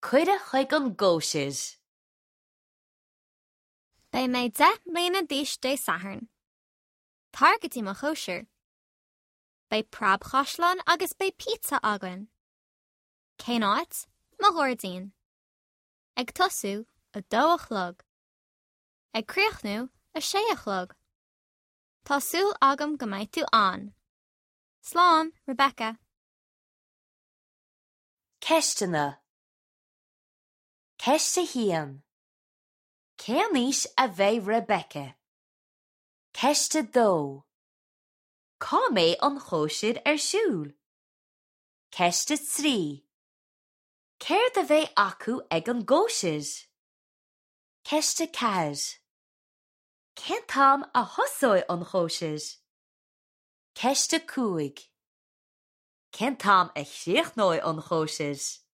Cuireadh chuig an gcóisir. Beidh mé 10 mbliana d'aois Dé Sathairn. Tar go dtí mo chóisir. Beidh preabchaisleán agus beidh pizza againn. Cén áit? Mo ghairdín. Ag tosú, 2 a chlog. Ag críochnú, 6 a chlog. Tá súil agam go mbeidh tú ann. Slán, Rebecca. Ceisteanna Ceist 1. Cén aois a bheidh Rebecca? Ceist 2. Cá mbeidh an chóisir ar siúl? Ceist 3. Céard a bheidh acu ag an gcóisir? Ceist 4. Cén t-am a thosóidh an chóisir? Ceist 5. Cén t-am a chríochnóidh an chóisir?